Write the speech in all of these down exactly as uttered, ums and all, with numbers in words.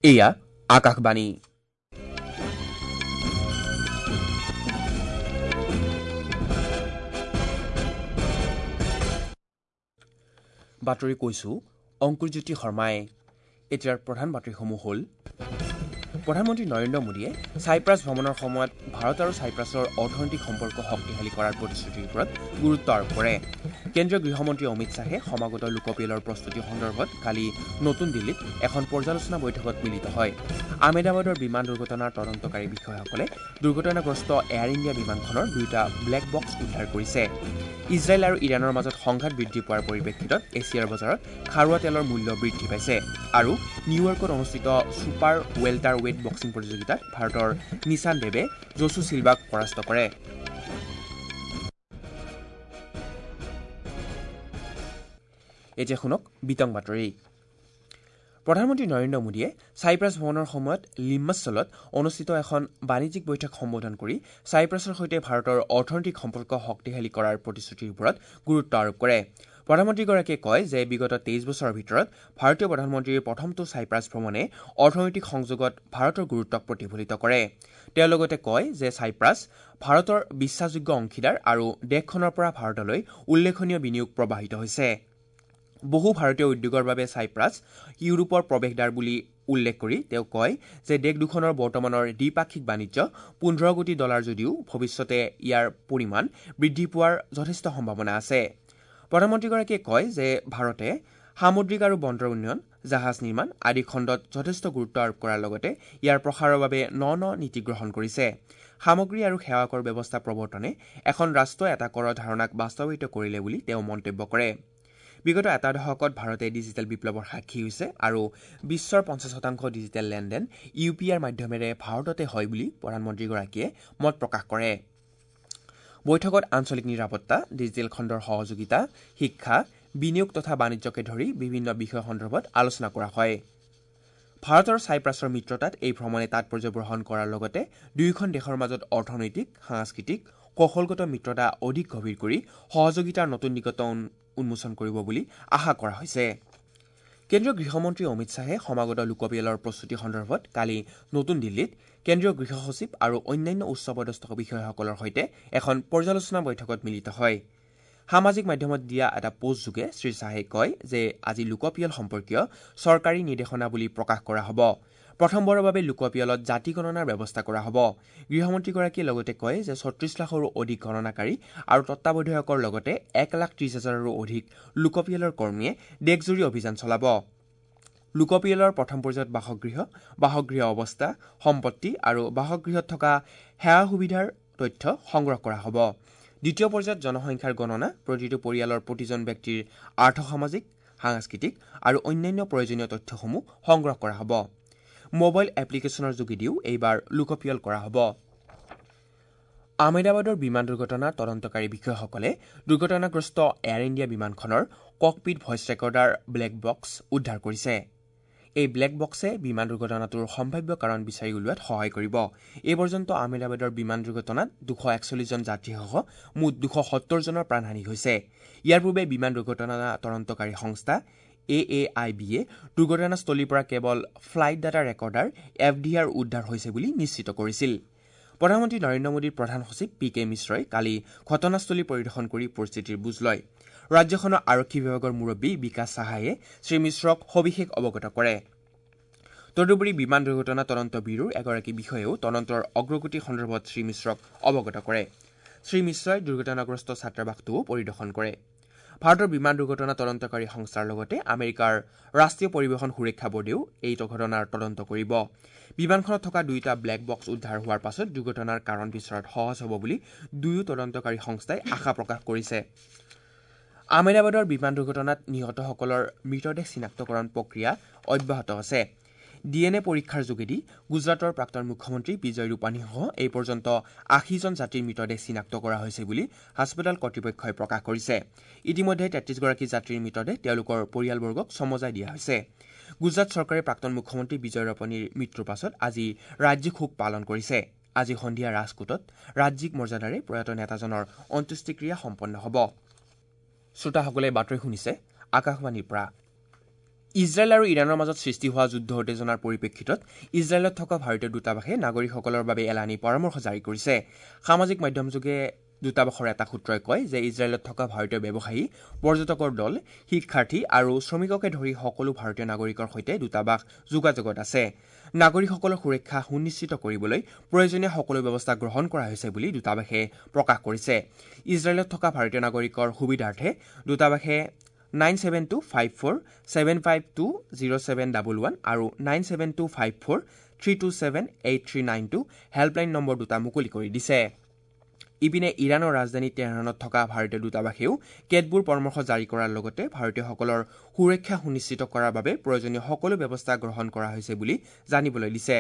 এয়া আকাশবাণী। বাতৰি কৈছো অংকুৰজ্যোতি শৰ্মাই। এতিয়াৰ প্ৰধান বাতৰিসমূহ হ'ল: প্ৰধানমন্ত্ৰী নৰেন্দ্ৰ মোদীয়ে ছাইপ্ৰাছ ভ্ৰমণৰ সময়ত ভাৰত আৰু ছাইপ্ৰাছৰ অৰ্থনৈতিক সম্পৰ্ক শক্তিশালী কৰাৰ প্ৰতিশ্ৰুতিৰ ওপৰত গুৰুত্ব আৰোপ কৰে। কেন্দ্ৰীয় গৃহমন্ত্ৰী অমিত শ্বাহে সমাগত লোকপিয়লৰ প্ৰস্তুতি সন্দৰ্ভত কালি নতুন দিল্লীত এখন পৰ্যালোচনা বৈঠকত মিলিত হয়। আহমেদাবাদৰ বিমান দুৰ্ঘটনাৰ তদন্তকাৰী বিষয়াসকলে দুৰ্ঘটনাগ্ৰস্ত এয়াৰ ইণ্ডিয়া বিমানখনৰ দুয়োটা ব্লেক বক্স উদ্ধাৰ কৰিছে। ইজৰাইল আৰু ইৰাণৰ মাজত সংঘাত বৃদ্ধি পোৱাৰ পৰিপ্ৰেক্ষিতত এছিয়াৰ বজাৰত খাৰুৱা তেলৰ মূল্য বৃদ্ধি পাইছে। আৰু নিউয়ৰ্কত অনুষ্ঠিত ছুপাৰ ৱেল্টাৰ ৱেইট বক্সিং প্ৰতিযোগিতাত ভাৰতৰ নিশান দেৱে জছু চিলভাক পৰাস্ত কৰে। এতিয়া শুনক বিতং বাতৰি। প্ৰধানমন্ত্ৰী নৰেন্দ্ৰ মোদীয়ে ছাইপ্ৰাছ ভ্ৰমণৰ সময়ত লিম্মাছলত অনুষ্ঠিত এখন বাণিজ্যিক বৈঠক সম্বোধন কৰি ছাইপ্ৰাছৰ সৈতে ভাৰতৰ অৰ্থনৈতিক সম্পৰ্ক শক্তিশালী কৰাৰ প্ৰতিশ্ৰুতিৰ ওপৰত গুৰুত্ব আৰোপ কৰে। প্ৰধানমন্ত্ৰীগৰাকীয়ে কয় যে বিগত তেইছ বছৰৰ ভিতৰত ভাৰতীয় প্ৰধানমন্ত্ৰীৰ প্ৰথমটো ছাইপ্ৰাছ ভ্ৰমণে অৰ্থনৈতিক সংযোগত ভাৰতৰ গুৰুত্বক প্ৰতিফলিত কৰে। তেওঁ লগতে কয় যে ছাইপ্ৰাছ ভাৰতৰ বিশ্বাসযোগ্য অংশীদাৰ আৰু দেশখনৰ পৰা ভাৰতলৈ উল্লেখনীয় বিনিয়োগ প্ৰবাহিত হৈছে। বহু ভাৰতীয় উদ্যোগৰ বাবে ছাইপ্ৰাছ ইউৰোপৰ প্ৰৱেশদ্বাৰ বুলি উল্লেখ কৰি তেওঁ কয় যে দেশ দুখনৰ বৰ্তমানৰ দ্বিপাক্ষিক বাণিজ্য পোন্ধৰ কোটি ডলাৰ যদিও ভৱিষ্যতে ইয়াৰ পৰিমাণ বৃদ্ধি পোৱাৰ যথেষ্ট সম্ভাৱনা আছে। প্ৰধানমন্ত্ৰীগৰাকীয়ে কয় যে ভাৰতে সামুদ্ৰিক আৰু বন্দৰ উন্নয়ন, জাহাজ নিৰ্মাণ আদি খণ্ডত যথেষ্ট গুৰুত্ব আৰোপ কৰাৰ লগতে ইয়াৰ প্ৰসাৰৰ বাবে ন ন নীতি গ্ৰহণ কৰিছে। সামগ্ৰী আৰু সেৱা কৰ ব্যৱস্থা প্ৰৱৰ্তনে এখন ৰাষ্ট্ৰ এটা কৰৰ ধাৰণাক বাস্তৱায়িত কৰিলে বুলি তেওঁ মন্তব্য কৰে। বিগত এটা দশকত ভাৰতে ডিজিটেল বিপ্লৱৰ সাক্ষী হৈছে আৰু বিশ্বৰ পঞ্চাছ শতাংশ ডিজিটেল লেনদেন ইউ পি আইৰ মাধ্যমেৰে ভাৰততে হয় বুলি প্ৰধানমন্ত্ৰীগৰাকীয়ে মত প্ৰকাশ কৰে। বৈঠকত আঞ্চলিক নিৰাপত্তা, ডিজিটেল খণ্ডৰ সহযোগিতা, শিক্ষা, বিনিয়োগ তথা বাণিজ্যকে ধৰি বিভিন্ন বিষয় সন্দৰ্ভত আলোচনা কৰা হয়। ভাৰতৰ ছাইপ্ৰাছৰ মিত্ৰতাত এই ভ্ৰমণে তাৎপৰ্য বহন কৰাৰ লগতে দুয়োখন দেশৰ মাজত অৰ্থনৈতিক, সাংস্কৃতিক, কৌশলগত মিত্ৰতা অধিক গভীৰ কৰি সহযোগিতাৰ নতুন দিগন্ত উন্মোচন কৰিব বুলি আশা কৰা হৈছে। কেন্দ্ৰীয় গৃহমন্ত্ৰী অমিত শ্বাহে সমাগত লোকপিয়লৰ প্ৰস্তুতি সন্দৰ্ভত কালি নতুন দিল্লীত কেন্দ্ৰীয় গৃহ সচিব আৰু অন্যান্য উচ্চপদস্থ বিষয়াসকলৰ সৈতে এখন পৰ্যালোচনা বৈঠকত মিলিত হয়। সামাজিক মাধ্যমত দিয়া এটা পোষ্টযোগে শ্ৰীশ্বাহে কয় যে আজি লোকপিয়ল সম্পৰ্কীয় চৰকাৰী নিৰ্দেশনাৱলী প্ৰকাশ কৰা হ'ব। প্ৰথমবাৰৰ বাবে লোকপিয়লত জাতি গণনাৰ ব্যৱস্থা কৰা হ'ব। গৃহমন্ত্ৰীগৰাকীয়ে লগতে কয় যে ছত্ৰিশ লাখৰো অধিক গণনাকাৰী আৰু তত্বাৱধায়কৰ লগতে এক লাখ ত্ৰিশ হাজাৰৰো অধিক লোকপিয়লৰ কৰ্মীয়ে দেশজুৰি অভিযান চলাব। লোকপিয়লৰ প্ৰথম পৰ্যায়ত বাসগৃহ, বাসগৃহ অৱস্থা, সম্পত্তি আৰু বাসগৃহত থকা সেৱা সুবিধাৰ তথ্য সংগ্ৰহ কৰা হ'ব। দ্বিতীয় পৰ্যায়ত জনসংখ্যাৰ গণনা, প্ৰতিটো পৰিয়ালৰ প্ৰতিজন ব্যক্তিৰ আৰ্থসামাজিক, সাংস্কৃতিক আৰু অন্যান্য প্ৰয়োজনীয় তথ্যসমূহ সংগ্ৰহ কৰা হ'ব। মোবাইল এপ্লিকেশ্যনৰ যোগেদিও এইবাৰ লোকপিয়ল কৰা হ'ব। আহমেদাবাদৰ বিমান দুৰ্ঘটনাৰ তদন্তকাৰী বিষয়াসকলে দুৰ্ঘটনাগ্ৰস্ত এয়াৰ ইণ্ডিয়া বিমানখনৰ cockpit voice recorder black box উদ্ধাৰ কৰিছে। এই ব্লেক বক্সে বিমান দুৰ্ঘটনাটোৰ সম্ভাৱ্য কাৰণ বিচাৰি উলিওৱাত সহায় কৰিব। এই পৰ্যন্ত আহমেদাবাদৰ বিমান দুৰ্ঘটনাত দুশ একচল্লিছজন যাত্ৰীসহ মুঠ দুশ সত্তৰজনৰ প্ৰাণহানি হৈছে। ইয়াৰ পূৰ্বে বিমান দুৰ্ঘটনা তদন্তকাৰী সংস্থা এ এ I বিয়ে দুৰ্ঘটনাস্থলীৰ পৰা কেৱল flight data recorder F D R উদ্ধাৰ হৈছে বুলি নিশ্চিত কৰিছিল। প্ৰধানমন্ত্ৰী নৰেন্দ্ৰ মোদীৰ প্ৰধান সচিব পি কে মিশ্ৰই কালি ঘটনাস্থলী পৰিদৰ্শন কৰি পৰিস্থিতিৰ বুজ লয়। ৰাজ্যখনৰ আৰক্ষী বিভাগৰ মুৰব্বী বিকাশ সাহায়ে শ্ৰীমিশ্ৰক সবিশেষ অৱগত কৰে। তদুপৰি বিমান দুৰ্ঘটনা তদন্ত ব্যুৰোৰ এগৰাকী বিষয়ায়েও তদন্তৰ অগ্ৰগতি সন্দৰ্ভত শ্ৰীমিশ্ৰক অৱগত কৰে। শ্ৰীমিশ্ৰই দুৰ্ঘটনাগ্ৰস্ত ছাত্ৰাবাসটোও পৰিদৰ্শন কৰে। ভাৰতৰ বিমান দুৰ্ঘটনা তদন্তকাৰী সংস্থাৰ লগতে আমেৰিকাৰ ৰাষ্ট্ৰীয় পৰিবহণ সুৰক্ষা বোৰ্ডেও এই ঘটনাৰ তদন্ত কৰিব। বিমানখনত থকা দুয়োটা ব্লেক বক্স উদ্ধাৰ হোৱাৰ পাছত দুৰ্ঘটনাৰ কাৰণ বিচৰাত সহজ হ'ব বুলি দুয়ো তদন্তকাৰী সংস্থাই আশা প্ৰকাশ কৰিছে। আহমেদাবাদৰ বিমান দুৰ্ঘটনাত নিহতসকলৰ মৃতদেহ চিনাক্তকৰণ প্ৰক্ৰিয়া অব্যাহত আছে। ডি এন এ পৰীক্ষাৰ যোগেদি গুজৰাটৰ প্ৰাক্তন মুখ্যমন্ত্ৰী বিজয় ৰূপানীসহ এই পৰ্যন্ত আশীজন যাত্ৰীৰ মৃতদেহ চিনাক্ত কৰা হৈছে বুলি হাস্পতাল কৰ্তৃপক্ষই প্ৰকাশ কৰিছে। ইতিমধ্যে তেত্ৰিছগৰাকী যাত্ৰীৰ মৃতদেহ তেওঁলোকৰ পৰিয়ালবৰ্গক চমজাই দিয়া হৈছে। গুজৰাট চৰকাৰে প্ৰাক্তন মুখ্যমন্ত্ৰী বিজয় ৰূপানীৰ মৃত্যুৰ পাছত আজি ৰাজ্যিক শোক পালন কৰিছে। আজি সন্ধিয়া ৰাজকোটত ৰাজ্যিক মৰ্যাদাৰে প্ৰয়াত নেতাজনৰ অন্ত্যেষ্টিক্ৰিয়া সম্পন্ন হ'ব। শ্ৰোতাসকলে বাতৰি শুনিছে আকাশবাণীৰ পৰা। ইজৰাইল আৰু ইৰাণৰ মাজত সৃষ্টি হোৱা যুদ্ধ উত্তেজনাৰ পৰিপ্ৰেক্ষিতত ইজৰাইলত থকা ভাৰতীয় দূতাবাসে নাগৰিকসকলৰ বাবে এলানি পৰামৰ্শ জাৰি কৰিছে। সামাজিক মাধ্যমযোগে দূতাবাসৰ এটা সূত্ৰই কয় যে ইজৰাইলত থকা ভাৰতীয় ব্যৱসায়ী, পৰ্যটকৰ দল, শিক্ষাৰ্থী আৰু শ্ৰমিককে ধৰি সকলো ভাৰতীয় নাগৰিকৰ সৈতে দূতাবাস যোগাযোগত আছে। নাগৰিকসকলৰ সুৰক্ষা সুনিশ্চিত কৰিবলৈ প্ৰয়োজনীয় সকলো ব্যৱস্থা গ্ৰহণ কৰা হৈছে বুলি দূতাবাসে প্ৰকাশ কৰিছে। ইজৰাইলত থকা ভাৰতীয় নাগৰিকৰ সুবিধাৰ্থে দূতাবাসে nine seven two five four seven five two zero seven double one আৰু nine seven two five four three two seven eight three nine two helpline number দুটা মুকলি কৰি দিছে। ইপিনে ইৰাণৰ ৰাজধানী তেহৰাণত থকা ভাৰতীয় দূতাবাসেও কেতবোৰ পৰামৰ্শ জাৰি কৰাৰ লগতে ভাৰতীয়সকলৰ সুৰক্ষা সুনিশ্চিত কৰাৰ বাবে প্ৰয়োজনীয় সকলো ব্যৱস্থা গ্ৰহণ কৰা হৈছে বুলি জানিবলৈ দিছে।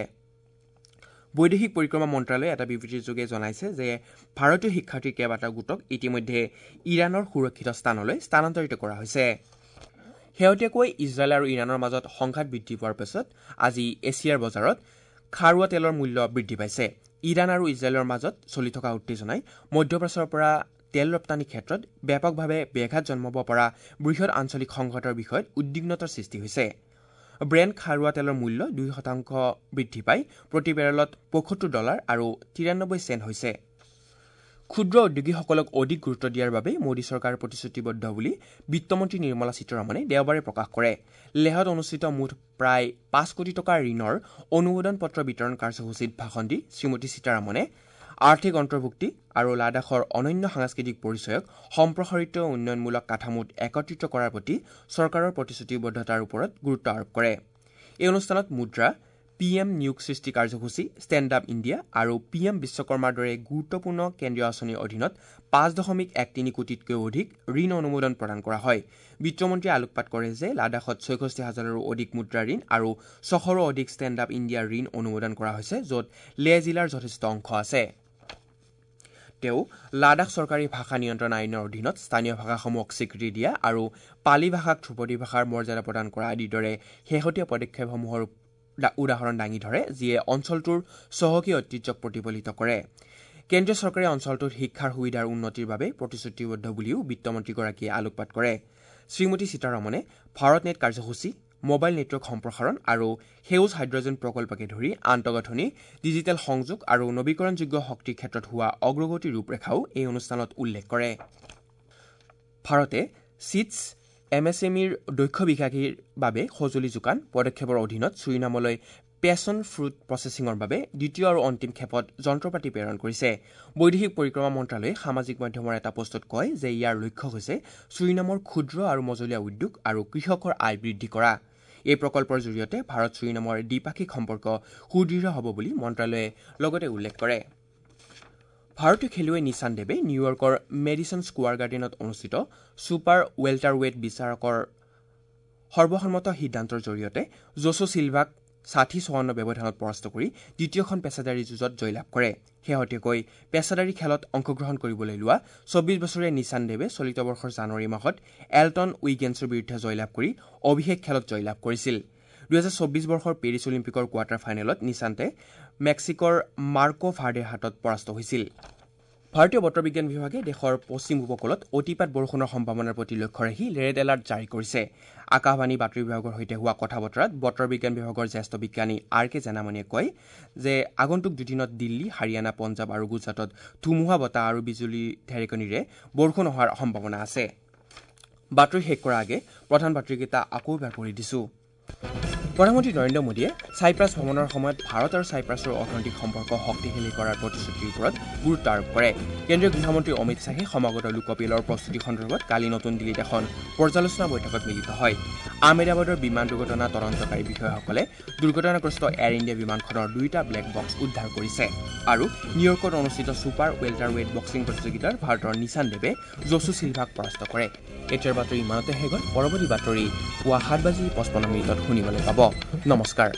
বৈদেশিক পৰিক্ৰমা মন্ত্ৰালয়ে এটা বিবৃতিৰ যোগে জনাইছে যে ভাৰতীয় শিক্ষাৰ্থীৰ কেইবাটাও গোটক ইতিমধ্যে ইৰাণৰ সুৰক্ষিত স্থানলৈ স্থানান্তৰিত কৰা হৈছে। শেহতীয়াকৈ ইজৰাইল আৰু ইৰাণৰ মাজত সংঘাত বৃদ্ধি পোৱাৰ পিছত আজি এছিয়াৰ বজাৰত খাৰুৱা তেলৰ মূল্য বৃদ্ধি পাইছে। ইৰাণ আৰু ইজৰাইলৰ মাজত চলি থকা উত্তেজনাই মধ্যপ্ৰাচ্যৰ পৰা তেল ৰপ্তানিৰ ক্ষেত্ৰত ব্যাপকভাৱে ব্যাঘাত জন্মাব পৰা বৃহৎ আঞ্চলিক সংঘাতৰ বিষয়ত উদ্বিগ্নতাৰ সৃষ্টি হৈছে। ব্ৰেণ্ড খাৰুৱা তেলৰ মূল্য দুই শতাংশ বৃদ্ধি পাই প্ৰতি বেৰেলত পঁয়সত্তৰ ডলাৰ আৰু তিৰানব্বৈ চেণ্ট হৈছে। ক্ষুদ্ৰ উদ্যোগীসকলক অধিক গুৰুত্ব দিয়াৰ বাবে মোদী চৰকাৰ প্ৰতিশ্ৰুতিবদ্ধ বুলি বিত্তমন্ত্ৰী নিৰ্মলা সীতাৰমণে দেওবাৰে প্ৰকাশ কৰে। লেহত অনুষ্ঠিত মুঠ প্ৰায় পাঁচ কোটি টকাৰ ঋণৰ অনুমোদন পত্ৰ বিতৰণ কাৰ্যসূচীত ভাষণ দি শ্ৰীমতী সীতাৰমণে আৰ্থিক অন্তৰ্ভুক্তি আৰু লাডাখৰ অনন্য সাংস্কৃতিক পৰিচয়ক সম্প্ৰসাৰিত উন্নয়নমূলক কাঠামোত একত্ৰিত কৰাৰ প্ৰতি চৰকাৰৰ প্ৰতিশ্ৰুতিবদ্ধতাৰ ওপৰত গুৰুত্ব আৰোপ কৰে। এই অনুষ্ঠানত মুদ্ৰা, পি এম নিয়োগ সৃষ্টি কাৰ্যসূচী, ষ্টেণ্ড আপ ইণ্ডিয়া আৰু পি এম বিশ্বকৰ্মাৰ দৰে গুৰুত্বপূৰ্ণ কেন্দ্ৰীয় আঁচনিৰ অধীনত পাঁচ দশমিক এক তিনি কোটিতকৈও অধিক ঋণ অনুমোদন প্ৰদান কৰা হয়। বিত্তমন্ত্ৰীয়ে আলোকপাত কৰে যে লাডাখত ছয়ষষ্ঠি হাজাৰৰো অধিক মুদ্ৰা ঋণ আৰু ছশৰো অধিক ষ্টেণ্ড আপ ইণ্ডিয়াৰ ঋণ অনুমোদন কৰা হৈছে, য'ত লেহ জিলাৰ যথেষ্ট অংশ আছে। তেওঁ লাডাখ চৰকাৰী ভাষা নিয়ন্ত্ৰণ আইনৰ অধীনত স্থানীয় ভাষাসমূহক স্বীকৃতি দিয়া আৰু পালি ভাষাক ধ্ৰুপদী ভাষাৰ মৰ্যাদা প্ৰদান কৰা আদিৰ দৰে শেহতীয়া পদক্ষেপসমূহৰ উদাহৰণ দাঙি ধৰে, যিয়ে অঞ্চলটোৰ চহকী ঐতিহ্যক প্ৰতিফলিত কৰে। কেন্দ্ৰীয় চৰকাৰে অঞ্চলটোত শিক্ষাৰ সুবিধাৰ উন্নতিৰ বাবে প্ৰতিশ্ৰুতিবদ্ধ বুলিও বিত্তমন্ত্ৰীগৰাকীয়ে আলোকপাত কৰে। শ্ৰীমতী সীতাৰমণে ভাৰত নেট কাৰ্যসূচী, মোবাইল নেটৱৰ্ক সম্প্ৰসাৰণ আৰু সেউজ হাইড্ৰজেন প্ৰকল্পকে ধৰি আন্তঃগাঁথনি, ডিজিটেল সংযোগ আৰু নৱীকৰণযোগ্য শক্তিৰ ক্ষেত্ৰত হোৱা অগ্ৰগতিৰ ৰূপৰেখাও এই অনুষ্ঠানত উল্লেখ কৰে। ভাৰতে চিটছ এম এছ এম ইৰ দক্ষ বিকাশীৰ বাবে সঁজুলি যোগান পদক্ষেপৰ অধীনত ছুৰিনামলৈ পেচন ফ্ৰুট প্ৰচেছিঙৰ বাবে দ্বিতীয় আৰু অন্তিম খেপত যন্ত্ৰপাতি প্ৰেৰণ কৰিছে। বৈদেশিক পৰিক্ৰমা মন্ত্ৰালয়ে সামাজিক মাধ্যমৰ এটা পোষ্টত কয় যে ইয়াৰ লক্ষ্য হৈছে ছুৰিনামৰ ক্ষুদ্ৰ আৰু মজলীয়া উদ্যোগ আৰু কৃষকৰ আয় বৃদ্ধি কৰা। এই প্ৰকল্পৰ জৰিয়তে ভাৰত ছুৰিনামৰ দ্বিপাক্ষিক সম্পৰ্ক সুদৃঢ় হ'ব বুলি মন্ত্ৰালয়ে লগতে উল্লেখ কৰে। ভাৰতীয় খেলুৱৈ নিশান দেৱে নিউয়ৰ্কৰ মেডিচন স্কোৱাৰ গাৰ্ডেনত অনুষ্ঠিত ছুপাৰ ৱেল্টাৰৱেট বিচাৰকৰ সৰ্বসন্মত সিদ্ধান্তৰ জৰিয়তে জোছো চিলভাক ষাঠি চৌৱন্ন ব্যৱধানত পৰাস্ত কৰি দ্বিতীয়খন পেছাদাৰী যুঁজত জয়লাভ কৰে। শেহতীয়াকৈ পেছাদাৰী খেলত অংশগ্ৰহণ কৰিবলৈ লোৱা চৌব্বিছ বছৰীয়া নিশান দেৱে চলিত বৰ্ষৰ জানুৱাৰী মাহত এল্টন উইগেন্সৰ বিৰুদ্ধে জয়লাভ কৰি অভিষেক খেলত জয়লাভ কৰিছিল। দুহেজাৰ চৌব্বিছ বৰ্ষৰ পেৰিছ অলিম্পিকৰ কোৱাৰ্টাৰ ফাইনেলত নিশান্তে মেক্সিকোৰ মাৰ্কো ভাৰ্ডেৰ হাতত পৰাস্ত হৈছিল। ভাৰতীয় বতৰ বিজ্ঞান বিভাগে দেশৰ পশ্চিম উপকূলত অতিপাত বৰষুণৰ সম্ভাৱনাৰ প্ৰতি লক্ষ্য ৰাখি ৰেড এলাৰ্ট জাৰি কৰিছে। আকাশবাণী বাতৰি বিভাগৰ সৈতে হোৱা কথা বতৰাত বতৰ বিজ্ঞান বিভাগৰ জ্যেষ্ঠ বিজ্ঞানী আৰ কে জেনামণিয়ে কয় যে আগন্তুক দুদিনত দিল্লী, হাৰিয়ানা, পঞ্জাৱ আৰু গুজৰাটত ধুমুহা বতাহ আৰু বিজুলী ঢেৰেকনিৰে বৰষুণ অহাৰ সম্ভাৱনা আছে। বাতৰি শেষ কৰাৰ আগে প্ৰধান বাতৰিকেইটা আকৌ এবাৰ পঢ়ি দিছোঁ। প্ৰধানমন্ত্ৰী নৰেন্দ্ৰ মোদীয়ে চাইপ্ৰাছ ভ্ৰমণৰ সময়ত ভাৰত আৰু চাইপ্ৰাছৰ অৰ্থনৈতিক সম্পৰ্ক শক্তিশালী কৰাৰ প্ৰতিশ্ৰুতিৰ ওপৰত গুৰুত্ব আৰোপ কৰে। কেন্দ্ৰীয় গৃহমন্ত্ৰী অমিত শ্বাহে সমাগত লোকপিয়লৰ প্ৰস্তুতি সন্দৰ্ভত কালি নতুন দিল্লীত এখন পৰ্যালোচনা বৈঠকত মিলিত হয়। আহমেদাবাদৰ বিমান দুৰ্ঘটনা তদন্তকাৰী বিষয়াসকলে দুৰ্ঘটনাগ্ৰস্ত এয়াৰ ইণ্ডিয়া বিমানখনৰ দুয়োটা ব্লেক বক্স উদ্ধাৰ কৰিছে। আৰু নিউয়ৰ্কত অনুষ্ঠিত ছুপাৰ ৱেল্টাৰৱেট বক্সিং প্ৰতিযোগিতাত ভাৰতৰ নিশান দেৱে জছু চিলভাক পৰাস্ত কৰে। এতিয়াৰ বাতৰি ইমানতে শেষ হ'ল। পৰৱৰ্তী বাতৰি পুৱা সাত বাজি পঁচপন্ন মিনিটত শুনিবলৈ পাব। নমস্কাৰ।